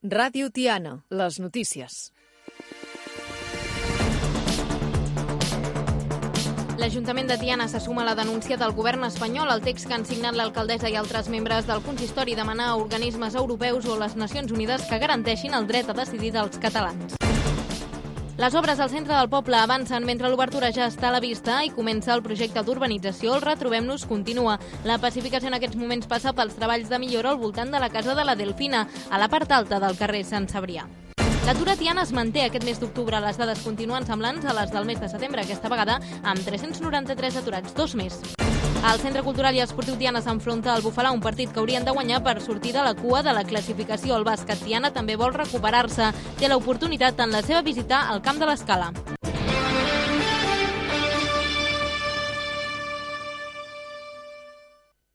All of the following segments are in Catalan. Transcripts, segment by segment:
Ràdio Tiana, les notícies. L'Ajuntament de Tiana se suma a la denúncia del govern espanyol. El text que han signat l'alcaldessa i altres membres del consistori demana a organismes europeus o les Nacions Unides que garanteixin el dret a decidir dels catalans. Les obres al centre del poble avancen mentre l'obertura ja està a la vista i comença el projecte d'urbanització. El Retrobem-nos continua. La pacificació en aquests moments passa pels treballs de millora al voltant de la casa de la Delfina, a la part alta del carrer Sant Cebrià. L'atur a Tiana es manté aquest mes d'octubre. Les dades continuen semblants a les del mes de setembre, aquesta vegada amb 393 aturats, 2 més. El Centre Cultural i Esportiu Tiana s'enfronta al Bufalà, un partit que haurien de guanyar per sortir de la cua de la classificació. El bàsquet Tiana també vol recuperar-se. Té l'oportunitat en la seva visita al Camp de l'Escala.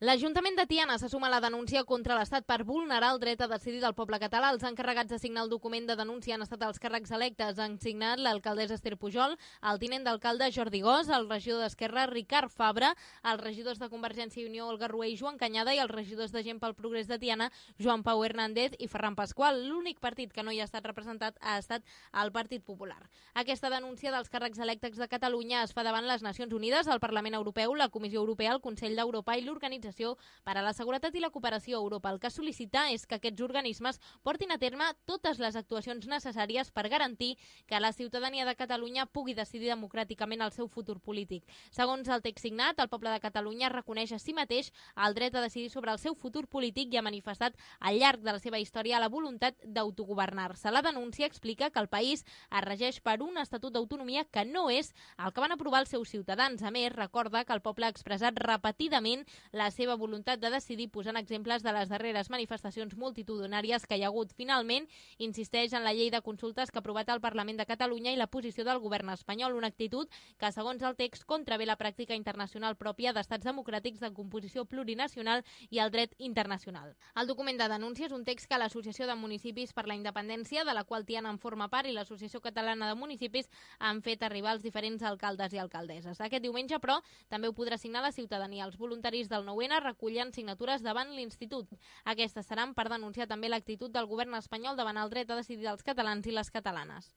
L'Ajuntament de Tiana se suma a la denúncia contra l'Estat per vulnerar el dret a decidir del poble català. Els encarregats de signar el document de denúncia han estat els càrrecs electes. Han signat l'alcaldessa Esther Pujol, el tinent d'alcalde Jordi Gós, el regidor d'Esquerra Ricard Fabra, els regidors de Convergència i Unió Olga Rué i Joan Canyada i els regidors de Gent pel Progrés de Tiana Joan Pau Hernández i Ferran Pasqual. L'únic partit que no hi ha estat representat ha estat el Partit Popular. Aquesta denúncia dels càrrecs electes de Catalunya es fa davant les Nacions Unides, el Parlament Europeu, la Comissió Europea, el Consell d'Europa i l'Organització per a la Seguretat i la Cooperació a Europa. El que sol·licita és que aquests organismes portin a terme totes les actuacions necessàries per garantir que la ciutadania de Catalunya pugui decidir democràticament el seu futur polític. Segons el text signat, el poble de Catalunya reconeix a si mateix el dret a decidir sobre el seu futur polític i ha manifestat al llarg de la seva història la voluntat d'autogovernar-se. La denúncia explica que el país es regeix per un estatut d'autonomia que no és el que van aprovar els seus ciutadans. A més, recorda que el poble ha expressat repetidament la seva voluntat de decidir, posant exemples de les darreres manifestacions multitudinàries que hi ha hagut. Finalment, insisteix en la llei de consultes que ha aprovat el Parlament de Catalunya i la posició del govern espanyol, una actitud que, segons el text, contravé la pràctica internacional pròpia d'estats democràtics de composició plurinacional i el dret internacional. El document de denúncia és un text que l'Associació de Municipis per la Independència, de la qual Tiana en forma part, i l'Associació Catalana de Municipis han fet arribar als diferents alcaldes i alcaldesses. Aquest diumenge, però, també ho podrà signar la ciutadania. Els voluntaris del 9N recullen signatures davant l'Institut. Aquestes seran per denunciar també l'actitud del govern espanyol davant el dret a decidir dels catalans i les catalanes.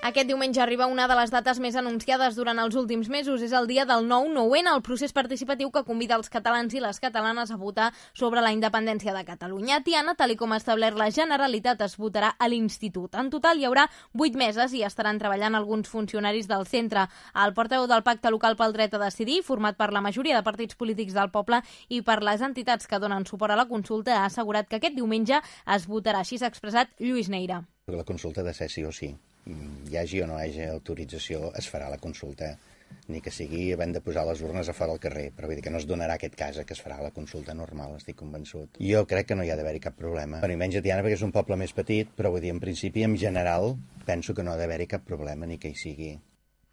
Aquest diumenge arriba una de les dates més anunciades durant els últims mesos. És el dia del 9-9N, el procés participatiu que convida els catalans i les catalanes a votar sobre la independència de Catalunya. A Tiana, tal com ha establert la Generalitat, es votarà a l'Institut. En total hi haurà 8 meses i estaran treballant alguns funcionaris del centre. El portaveu del Pacte Local pel Dret a Decidir, format per la majoria de partits polítics del poble i per les entitats que donen suport a la consulta, ha assegurat que aquest diumenge es votarà. Així s'ha expressat Lluís Neira. La consulta de ser sí o sí. Hi hagi o no hi hagi autorització, es farà la consulta, ni que sigui havent de posar les urnes a fora al carrer, però vull dir que no es donarà aquest cas que es farà la consulta normal, estic convençut. Jo crec que no hi ha d'haver-hi cap problema. I menys a Tiana perquè és un poble més petit, però vull dir, en principi, en general, penso que no ha d'haver-hi cap problema ni que hi sigui.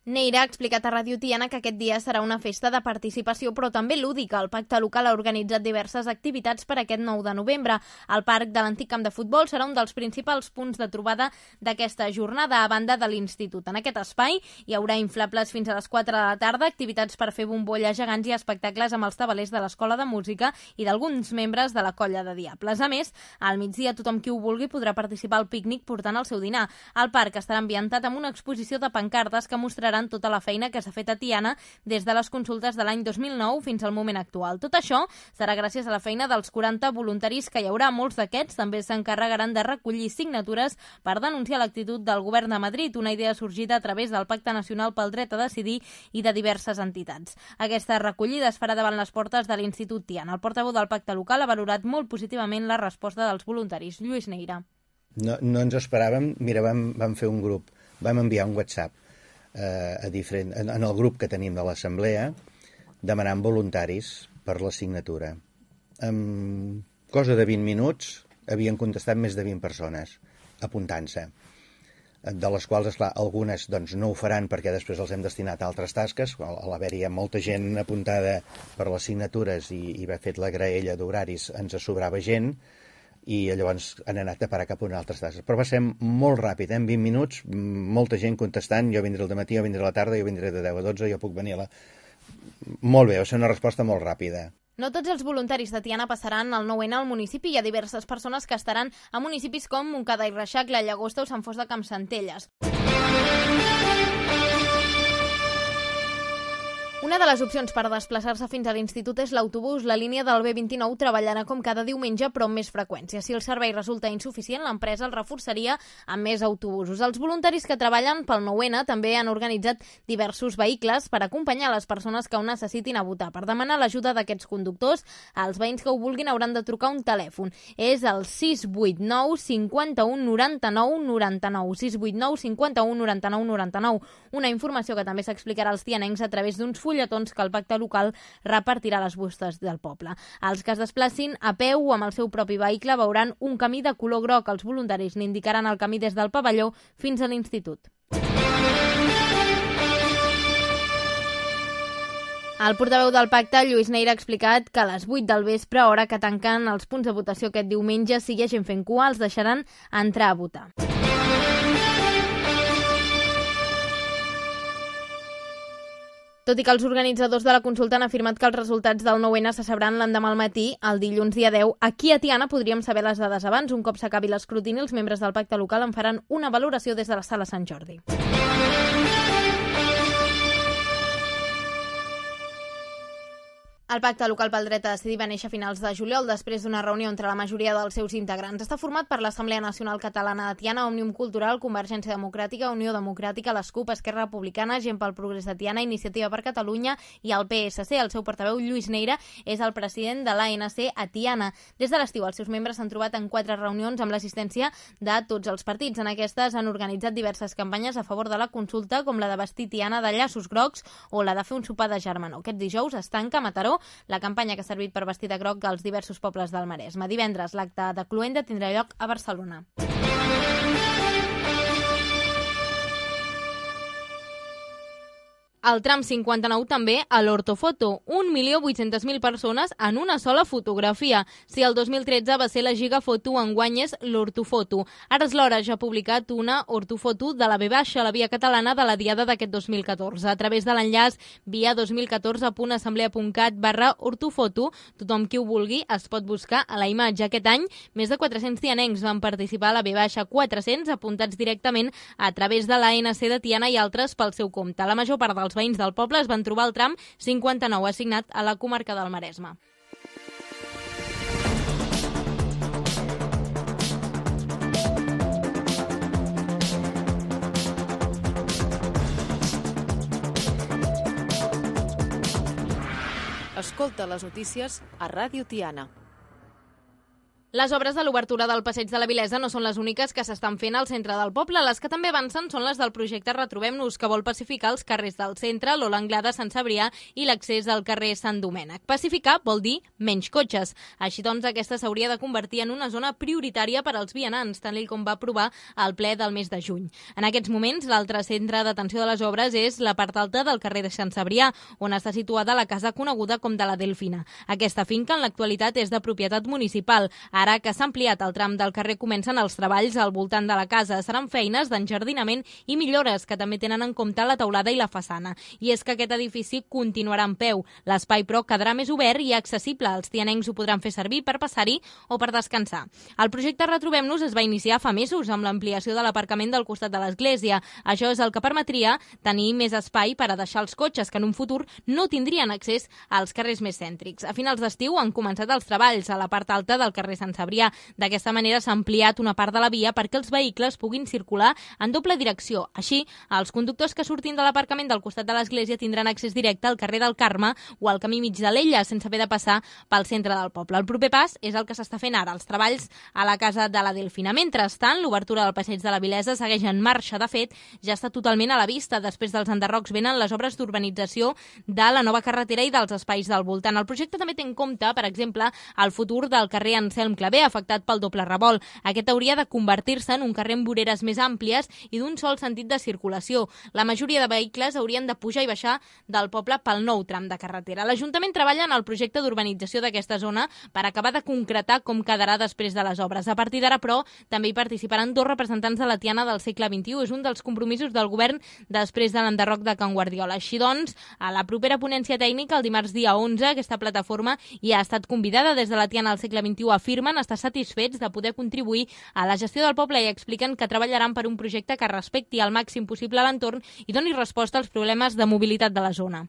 Neira ha explicat a Ràdio Tiana que aquest dia serà una festa de participació, però també lúdica. El Pacte Local ha organitzat diverses activitats per aquest 9 de novembre. El parc de l'antic camp de futbol serà un dels principals punts de trobada d'aquesta jornada, a banda de l'Institut. En aquest espai hi haurà inflables fins a les 4 de la tarda, activitats per fer bombolles gegants i espectacles amb els tabalers de l'Escola de Música i d'alguns membres de la Colla de Diables. A més, al migdia tothom qui ho vulgui podrà participar al pícnic portant el seu dinar. El parc estarà ambientat amb una exposició de pancartes que mostraran tota la feina que s'ha fet a Tiana des de les consultes de l'any 2009 fins al moment actual. Tot això serà gràcies a la feina dels 40 voluntaris que hi haurà. Molts d'aquests també s'encarregaran de recollir signatures per denunciar l'actitud del govern de Madrid, una idea sorgida a través del Pacte Nacional pel Dret a Decidir i de diverses entitats. Aquesta recollida es farà davant les portes de l'Institut Tiana. El portaveu del Pacte Local ha valorat molt positivament la resposta dels voluntaris. Lluís Neira. No ens esperàvem. Mira, vam fer un grup, vam enviar un WhatsApp en el grup que tenim de l'Assemblea demanant voluntaris per la signatura. En cosa de 20 minuts havien contestat més de 20 persones apuntant-se, de les quals, esclar, algunes doncs, no ho faran perquè després els hem destinat a altres tasques. A l'haver-hi molta gent apuntada per les signatures i haver fet la graella d'horaris ens sobrava gent i llavors han anat a parar cap a una altra tasca. Però va ser molt ràpid, en 20 minuts, molta gent contestant, jo vindré al matí, jo vindré a la tarda, jo vindré de 10 a 12, jo puc venir a la... Molt bé, va ser una resposta molt ràpida. No tots els voluntaris de Tiana passaran el 9N al municipi. Hi ha diverses persones que estaran a municipis com Montcada i Reixac, la Llagosta o Sant Fost de Campsentelles. Una de les opcions per desplaçar-se fins a l'institut és l'autobús. La línia del B29 treballarà com cada diumenge, però amb més freqüència. Si el servei resulta insuficient, l'empresa el reforçaria amb més autobusos. Els voluntaris que treballen pel 9N també han organitzat diversos vehicles per acompanyar les persones que ho necessitin a votar. Per demanar l'ajuda d'aquests conductors, els veïns que ho vulguin hauran de trucar un telèfon. És el 689 51 99 99. 689 51 99 99. Una informació que també s'explicarà als tianencs a través d'uns fulletons que el pacte local repartirà a les bustes del poble. Els que es desplacin a peu o amb el seu propi vehicle veuran un camí de color groc. Els voluntaris n'indicaran el camí des del pavelló fins a l'institut. El portaveu del pacte, Lluís Neira, ha explicat que a les 8 del vespre, hora que tanquen els punts de votació aquest diumenge, si hi ha gent fent cua, els deixaran entrar a votar. Tot i que els organitzadors de la consulta han afirmat que els resultats del 9N se sabran l'endemà al matí, el dilluns dia 10, aquí a Tiana podríem saber les dades abans. Un cop s'acabi l'escrutini, els membres del pacte local en faran una valoració des de la sala Sant Jordi. El pacte local pel dret a decidir va néixer a finals de juliol després d'una reunió entre la majoria dels seus integrants. Està format per l'Assemblea Nacional Catalana de Tiana, Òmnium Cultural, Convergència Democràtica, Unió Democràtica, l'ESCUP, Esquerra Republicana, Gent pel Progrés de Tiana, Iniciativa per Catalunya i el PSC. El seu portaveu, Lluís Neira, és el president de l'ANC a Tiana. Des de l'estiu, els seus membres s'han trobat en 4 reunions amb l'assistència de tots els partits. En aquestes han organitzat diverses campanyes a favor de la consulta, com la de vestir Tiana de llaços grocs o la de fer un sopar de germanor. Aquest dijous es tanca a Mataró la campanya que ha servit per vestir de groc als diversos pobles del Maresme. Divendres, l'acte de cloenda tindrà lloc a Barcelona. El tram 59 també a l'ortofoto. 1.800.000 persones en una sola fotografia. Si el 2013 va ser la gigafoto, enguany és l'ortofoto. Ara és l'hora, ja ha publicat una ortofoto de la V baixa, la via catalana de la diada d'aquest 2014. A través de l'enllaç via 2014.assemblea.cat/ortofoto, tothom qui ho vulgui es pot buscar a la imatge. Aquest any, més de 400 tianencs van participar a la V baixa, 400 apuntats directament a través de l'ANC de Tiana i altres pel seu compte. La major part dels veïns del poble es van trobar el tram 59 assignat a la comarca del Maresme. Escolta les notícies a Ràdio Tiana. Les obres de l'obertura del Passeig de la Vilesa no són les úniques que s'estan fent al centre del poble. Les que també avancen són les del projecte Retrobem-nos, que vol pacificar els carrers del centre, l'Ola Anglada, Sant Cebrià i l'accés al carrer Sant Domènec. Pacificar vol dir menys cotxes. Així doncs, aquesta s'hauria de convertir en una zona prioritària per als vianants, tal com va aprovar el ple del mes de juny. En aquests moments, l'altre centre d'atenció de les obres és la part alta del carrer de Sant Cebrià, on està situada la casa coneguda com de la Delfina. Aquesta finca, en l'actualitat, és de propietat municipal. Ara que s'ha ampliat el tram del carrer, comencen els treballs al voltant de la casa. Seran feines d'enjardinament i millores que també tenen en compte la teulada i la façana. I és que aquest edifici continuarà en peu. L'espai, però, quedarà més obert i accessible. Els tianencs ho podran fer servir per passar-hi o per descansar. El projecte Retrobem-nos es va iniciar fa mesos amb l'ampliació de l'aparcament del costat de l'església. Això és el que permetria tenir més espai per a deixar els cotxes que en un futur no tindrien accés als carrers més cèntrics. A finals d'estiu han començat els treballs a la part alta del carrer Sant Cebrià. D'aquesta manera s'ha ampliat una part de la via perquè els vehicles puguin circular en doble direcció. Així, els conductors que surtin de l'aparcament del costat de l'església tindran accés directe al carrer del Carme o al camí mig de l'Ella, sense haver de passar pel centre del poble. El proper pas és el que s'està fent ara, els treballs a la casa de la Delfina. Mentrestant, l'obertura del Passeig de la Vilesa segueix en marxa. De fet, ja està totalment a la vista. Després dels enderrocs venen les obres d'urbanització de la nova carretera i dels espais del voltant. El projecte també té en compte, per exemple, el futur del carrer Anselm cincle B, afectat pel doble revolt. Aquest hauria de convertir-se en un carrer amb voreres més àmplies i d'un sol sentit de circulació. La majoria de vehicles haurien de pujar i baixar del poble pel nou tram de carretera. L'Ajuntament treballa en el projecte d'urbanització d'aquesta zona per acabar de concretar com quedarà després de les obres. A partir d'ara, però, també hi participaran 2 representants de la Tiana del segle XXI. És un dels compromisos del govern després de l'enderroc de Can Guardiola. Així doncs, a la propera ponència tècnica, el dimarts dia 11, aquesta plataforma ja ha estat convidada. Des de la Tiana del segle XXI afirmen estar satisfets de poder contribuir a la gestió del poble i expliquen que treballaran per un projecte que respecti al màxim possible l'entorn i doni resposta als problemes de mobilitat de la zona.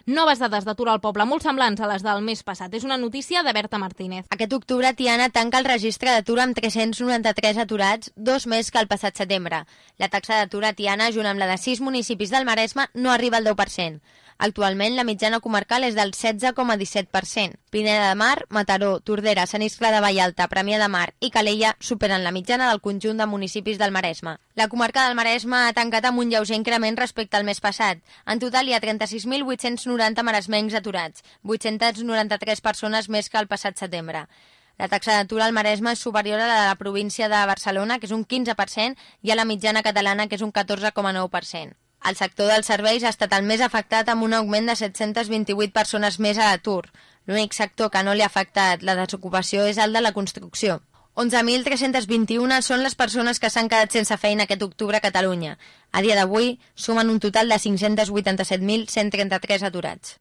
Noves dades d'atur al poble, molt semblants a les del mes passat. És una notícia de Berta Martínez. Aquest octubre, Tiana tanca el registre d'atur amb 393 aturats, 2 més que el passat setembre. La taxa d'atur a Tiana, junt amb la de 6 municipis del Maresme, no arriba al 10%. Actualment, la mitjana comarcal és del 16,17%. Pineda de Mar, Mataró, Tordera, Sant Iscle de Vallalta, Premià de Mar i Calella superen la mitjana del conjunt de municipis del Maresme. La comarca del Maresme ha tancat amb un lleuger increment respecte al mes passat. En total hi ha 36.890 maresmencs aturats, 893 persones més que el passat setembre. La taxa d'atur al Maresme és superior a la de la província de Barcelona, que és un 15%, i a la mitjana catalana, que és un 14,9%. El sector dels serveis ha estat el més afectat amb un augment de 728 persones més a l'atur. L'únic sector que no li ha afectat la desocupació és el de la construcció. 11.321 són les persones que s'han quedat sense feina aquest octubre a Catalunya. A dia d'avui sumen un total de 587.133 aturats.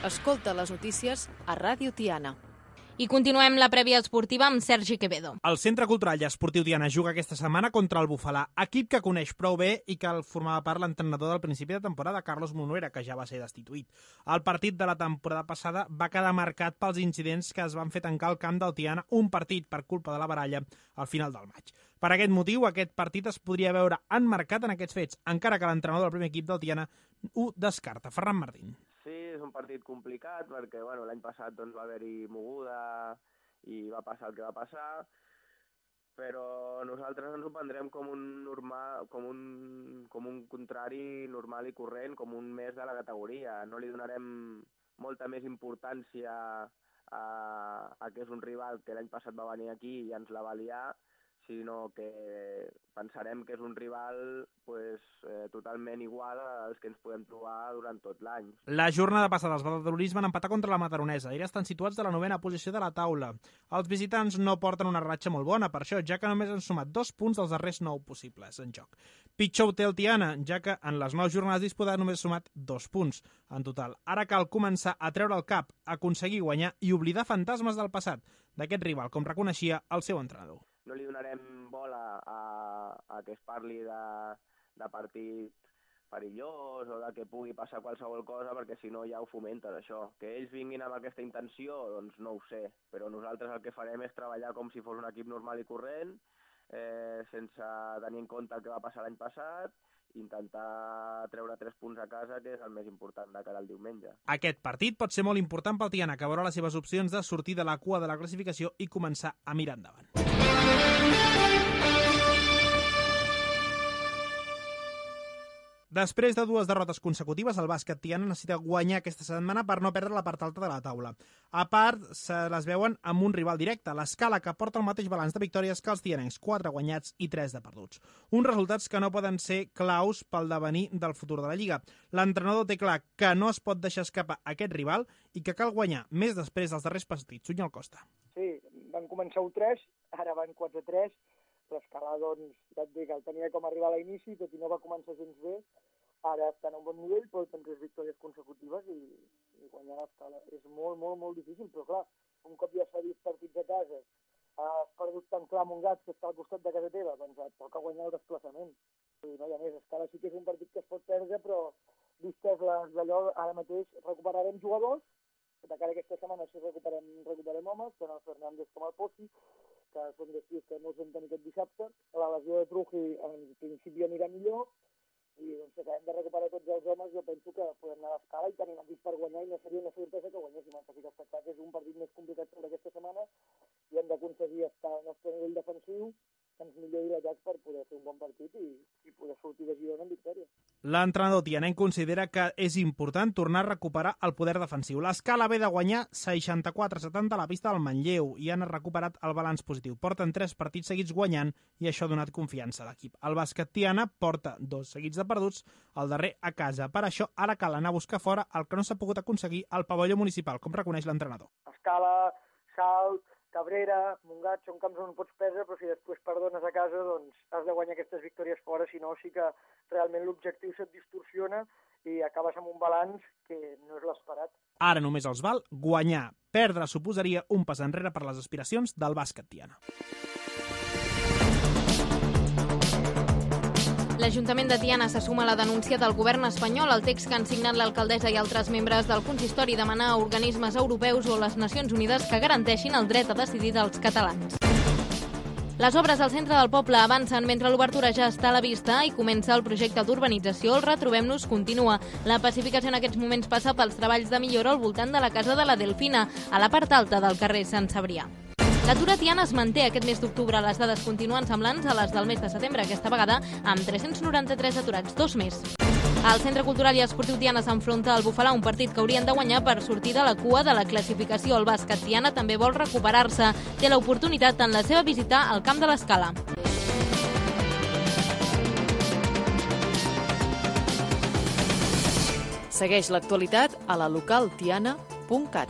Escolta les notícies a Ràdio Tiana. I continuem la prèvia esportiva amb Sergi Quevedo. El Centre Cultural i Esportiu Tiana juga aquesta setmana contra el Bufalà, equip que coneix prou bé i que el formava part l'entrenador del principi de temporada, Carlos Monuera, que ja va ser destituït. El partit de la temporada passada va quedar marcat pels incidents que es van fer tancar el camp del Tiana, un partit per culpa de la baralla al final del maig. Per aquest motiu, aquest partit es podria veure emmarcat en aquests fets, encara que l'entrenador del primer equip del Tiana ho descarta. Ferran Martín. Sí, és un partit complicat perquè l'any passat va haver-hi moguda i va passar el que va passar, però nosaltres ens ho prendrem com un contrari normal i corrent, com un mes de la categoria. No li donarem molta més importància a que és un rival que l'any passat va venir aquí i ens la va liar, sinó que pensarem que és un rival totalment igual als que ens podem trobar durant tot l'any. La jornada passada els badalonis van empatar contra la Mataronesa. Ells estan situats de la 9ª posició de la taula. Els visitants no porten una ratxa molt bona per això, ja que només han sumat 2 punts dels darrers 9 possibles en joc. Pitjor ho té el Tiana, ja que en les 9 jornades disputades només ha sumat 2 punts en total. Ara cal començar a treure el cap, aconseguir guanyar i oblidar fantasmes del passat d'aquest rival, com reconeixia el seu entrenador. No li donarem bola a que es parli de partit perillós o de que pugui passar qualsevol cosa, perquè si no ja ho fomentes, això. Que ells vinguin amb aquesta intenció, doncs no ho sé, però nosaltres el que farem és treballar com si fos un equip normal i corrent, sense tenir en compte el que va passar l'any passat, intentar treure 3 punts a casa, que és el més important de cara al diumenge. Aquest partit pot ser molt important pel Tiana, que veurà les seves opcions de sortir de la cua de la classificació i començar a mirar endavant. Després de 2 derrotes consecutives, el bàsquet Tiana necessita guanyar aquesta setmana per no perdre la part alta de la taula. A part, se les veuen amb un rival directe, l'Escala, que porta el mateix balanç de victòries que els tianencs, 4 guanyats i 3 de perduts. Uns resultats que no poden ser claus pel devenir del futur de la Lliga. L'entrenador té clar que no es pot deixar escapar aquest rival i que cal guanyar més després dels darrers partits. Sunyol Costa. Sí, van començar 1-3, ara van 4-3, l'Escala, doncs, ja et dic, el tenia com a arribar a l'inici, tot i no va començar gens bé, ara està en un bon nivell, però té 3 victòries consecutives i guanyar l'Escala és molt, molt, molt difícil, però clar, un cop ja s'ha vist partits a casa, has perdut tan clar Montgat, que està al costat de casa teva, doncs et toca guanyar el desplaçament. I no hi ha més, Escala sí que és un partit que es pot perdre, però vistes les d'allò, ara mateix recuperarem jugadors, de cara a aquesta setmana sí recuperem homes, tant el Fernández com el Posi, que són destins que no els hem tenir aquest dissabte. La lesió de Truji en principi anirà millor I doncs, si acabem de recuperar tots els homes, jo penso que podem anar a l'escala i tenim equip per guanyar i no seria una sorpresa que guanyéssim. El que sí que està clar que és un partit més complicat sobre aquesta setmana i hem d'aconseguir estar al nostre nivell defensiu, que ens millori l'atac per poder fer un bon partit i poder sortir de Girona amb victòria. L'entrenador tianenc considera que és important tornar a recuperar el poder defensiu. L'Escala ve de guanyar 64-70 a la pista del Manlleu i han recuperat el balanç positiu. Porten 3 partits seguits guanyant i això ha donat confiança a l'equip. El bàsquet Tiana porta 2 seguits de perduts, el darrer a casa. Per això ara cal anar a buscar fora el que no s'ha pogut aconseguir al pavelló municipal, com reconeix l'entrenador. Escala, Salt, Cabrera, Montgat, són camps on pots perdre, però si després perdones a casa, doncs has de guanyar aquestes victòries fora, si no sí que realment l'objectiu se't distorsiona i acabes amb un balanç que no és l'esperat. Ara només els val guanyar. Perdre suposaria un pas enrere per les aspiracions del bàsquet Tiana. L'Ajuntament de Tiana se suma a la denúncia del govern espanyol al text que han signat l'alcaldessa i altres membres del consistori demanar a organismes europeus o les Nacions Unides que garanteixin el dret a decidir dels catalans. Les obres al centre del poble avancen mentre l'obertura ja està a la vista i comença el projecte d'urbanització. El Retrobem-nos continua. La pacificació en aquests moments passa pels treballs de millora al voltant de la casa de la Delfina, a la part alta del carrer Sant Cebrià. L'atur a Tiana es manté aquest mes d'octubre. Les dades continuen semblants a les del mes de setembre, aquesta vegada amb 393 aturats, 2 més. El Centre Cultural i Esportiu Tiana s'enfronta al Bufalà, un partit que haurien de guanyar per sortir de la cua de la classificació. El bàsquet Tiana també vol recuperar-se. Té l'oportunitat en la seva visita al camp de l'Escala. Segueix l'actualitat a la localtiana.cat.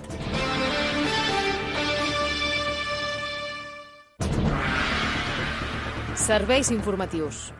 Serveis informatius.